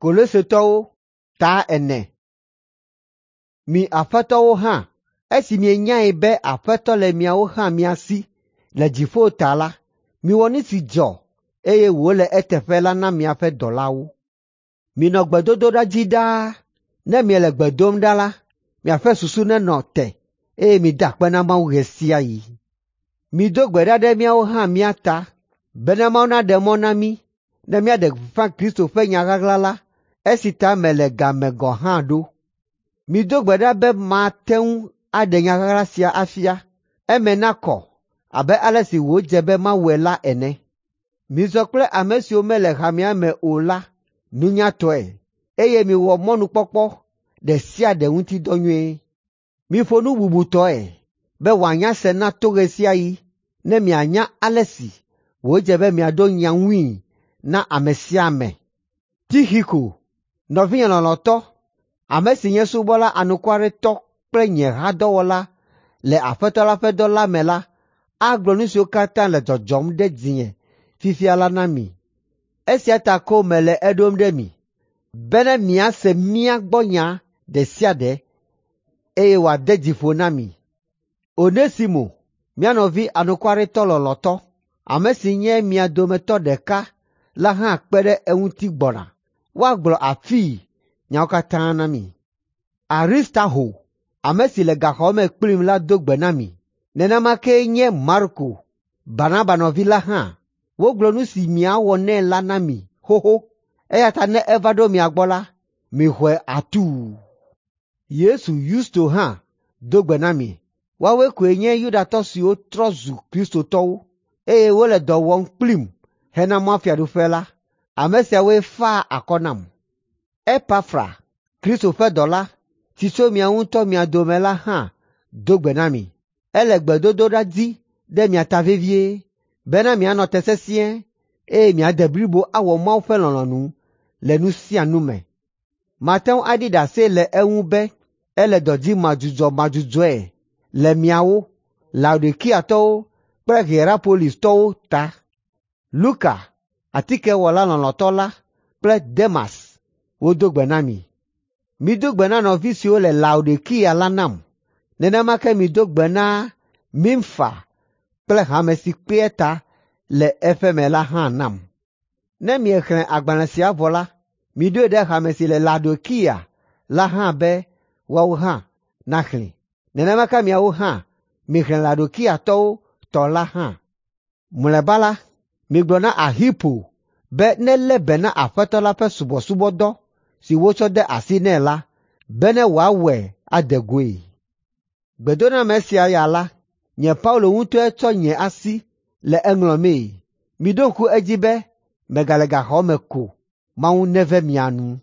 Kolosetɔwo ta 4. Mi aƒetɔwo hã, esi mienyae be Aƒetɔ le miawo hã mia si le dziƒo ta la, miwɔ nu si dzɔ eye wòle eteƒe la na miaƒe dɔlawo. Minɔ gbedodoɖa dzi ɖaa. Ne miele gbe dom ɖa la, miaƒe susu nenɔ te eye mida akpe na Mawu ɣe sia ɣi. Mido gbe ɖa ɖe míawo hã mía ta bena Mawu naɖe mɔ na mí ne míaɖe gbeƒã Kristo ƒe nya ɣaɣla la, esi ta mele ga me gɔ̃ hã ɖo. Mido gbe ɖa be mate ŋu aɖe nya ɣaɣla sia afia, eme nakɔ abe ale si wòdze be mawɔe la ene. Mizɔ kple ame siwo mele hamea me o la nunyatɔe eye miwɔ mɔnukpɔkpɔ ɖe sia ɖe ŋuti dɔ nyuie. Miƒo nu bubutɔe be wòanya se na to ɣe sia ɣi ne mianya ale si wòdze be miaɖo nya ŋui na ame sia ame. Tixiko, nɔvinye lɔlɔ̃tɔ, ame si nye subɔla anukwaretɔ kple nye hadɔwɔla le Aƒetɔ la ƒe dɔ la me la, agblɔ nu siwo katã le dzɔdzɔm ɖe dzinye fifia la na mi. Esia ta ko mele eɖom ɖe mi, bene miase mía gbɔ nya ɖe sia ɖe eye wòade dzi ƒo na mi. Onesimo, mía nɔvi anukwaretɔ lɔlɔ̃tɔ, ame si nye mia dometɔ ɖeka la hã kpe ɖe eŋuti gbɔna. Woagblɔ afii nyawo katã na mi. Aristarho, ame si le gaxɔ me kplim la do gbe na mi. Nenema kee nye Marko, Barnaba nɔvi la hã. Wogblɔ nu si miawɔ nɛ la na mi xoxo eya ta ne eva ɖo mia gbɔ la, mixɔe atuu. Yesu Yusto hã do gbe na mi. Woawoe koe nye Yudatɔ siwo trɔ zu Kristotɔwo eye wole dɔ wɔm kplim hena mɔfiaɖuƒe la. Ame siawoe faa akɔ nam. Epafra, Kristo ƒe dɔla, si tso miawo ŋutɔ mia dome la hã do gbe na mi. Ele gbedodoɖa dzi ɖe mia ta vevie bena mianɔ te sesĩe eye miade blibo awɔ Mawu ƒe lɔlɔ̃nu le nu sia nu me. Mate ŋu aɖi ɖase le eŋu be ele dɔ dzi madzudzɔmadzudzɔe le miawo, Laodikiatɔwo kple Hierapolistɔwo ta. Luka, atikewɔla lɔlɔ̃tɔ la kple Demas wodo gbe na mi. Mido gbe na nɔvi siwo le Laodikia la nam. Nenema ke mido gbe na Nimfa kple hame si kpea ta le eƒe me la hã nam. Ne miexlẽ agbalẽ sia vɔ la, miɖoe ɖe hame si le Laodikia la hã be woawo hã naxlẽe. Nenema ke miawo hã mixlẽ Laodikiatɔwo tɔ la hã. Mlɔeba la, migblɔ na Arxipo be nelé be na Aƒetɔ la ƒe subɔsubɔdɔ si wotsɔ de asi nɛ la, bene wòawɔe ade goe. Gbedoname sia ya la, nye Paulo ŋutɔe tsɔ nye asi le eŋlɔmee. Miɖo ŋku edzi be megale gaxɔ me ko. Mawu neve mia nu.